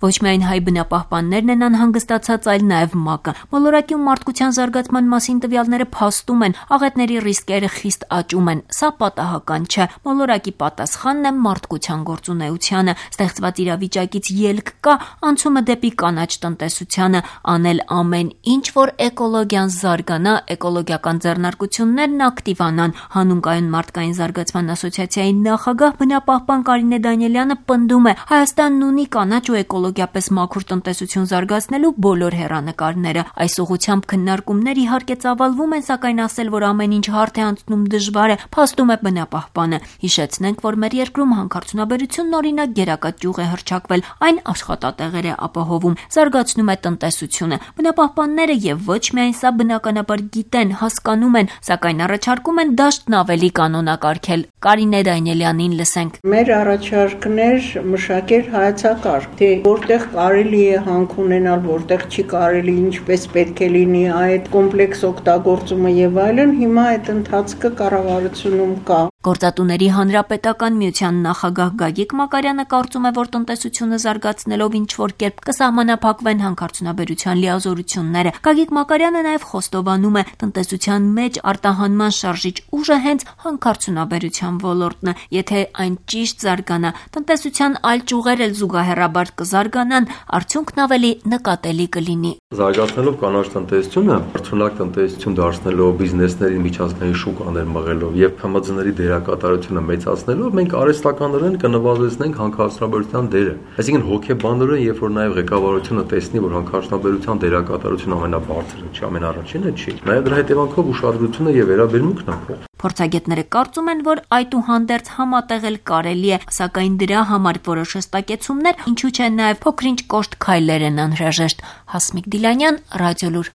Ոչ միայն հայ բնապահպաններն են անհանգստացած, այլ նաև ՄԱԿ-ը։ Մոլորակի ու մարդկության զարգացման մասին տվյալները փաստում են, աղետների ռիսկերը խիստ աճում են։ Սա պատահական չէ։ Մոլորակի պատասխանն է մարդկության գործունեությանը։ Ստեղծված իրավիճակից ելք կա անցումը դեպի կանաչ տնտեսությանը, անել ամեն ինչ, որ էկոլոգիան զարգանա, էկոլոգիական ձեռնարկություններն ակտիվանան։ Հանուն կայուն մարդկային զարգացման ասոցիացիայի նախագահ բնապահպան Կարինե Դանիելյանը պնդում է, Հայաստանն ունի կանաչ ու էկոլոգիապես մաքուր տնտեսություն զարգացնելու բոլոր հեռանկարները։ Այս ուղղությամբ քննարկումներ իհարկե ծավալվում են, սակայն ասել, որ ամեն ինչ հարթ է անցնում դժվար է, փաստում է բնապահպանը։ Հիշեցնենք, որ մեր երկրում հանքարդյունաբերությունն օրինակ գերակա ճյուղ է հռչակվել, այն աշխատատեղեր է ապահովում, զարգացնում է տնտեսությունը։ Բնապահպանները եւ ոչ միայն սա բնականաբար գիտեն, հասկանում են, սակայն առաջարկում են դաշտն ավելի կանոնակարգել։ Կարինե Դանիելյանին լսենք։ Մեր առաջարկներ մշակել հայեցակարգ, թե որտեղ կարելի է հանք ունենալ, որտեղ չի կարելի, ինչպես պետք է լինի այդ կոմպլեքս օգտագործումը եւ այլն, հիմա այդ ընթացքը կառավարությունում կա։ Գործատուների հանրապետական միության նախագահ Գագիկ Մակարյանը կարծում է, որ տնտեսությունը զարգացնելով ինչ-որ կերպ կսահմանափակվեն հանքարդյունաբերության լիազորությունները։ Գագիկ Մակարյանը նաև խոստովանում է, տնտեսության մեջ արտահանման շարժիչ ուժը հենց հանքարդյունաբերության ոլորտն է։ Եթե այն ճիշտ զարգանա, տնտեսության այլ ճյուղեր էլ զուգահեռաբար կզարգանան, արդյունքն ավելի նկատելի կլինի։ Զարգացնելով կանաչ տնտեսությունը, արդյունակ տնտեսություն դարձնելով, բիզնեսների միջազգային շուկաներ մղելով եւ ՓՄԶ-ների դերակատարությունը մեծացնելով, մենք արհեստականորեն կնվազեցնենք հանքարդյունաբերության դերը։ Այսինքն հոգեբանորեն, երբ որ նաեւ ղեկավարությունը տեսնի, որ հանքարդյունաբերության դերակատարությունը ամենաբարձրը չի, ամենառաջինը չի, նաեւ դրա հետևանքով ուշադրությունը եւ վերաբերմունքն է փոխվում։ Փորձագետները կարծում են, որ այդուհանդերձ համատեղել կարելի է, սակայն դրա համար որոշ հստակեցումներ, ինչու՞ չէ նաև փոքրինչ կոշտ քայլեր են անհրաժեշտ։ Հասմիկ Դիլանյան, Ռադիոլուր։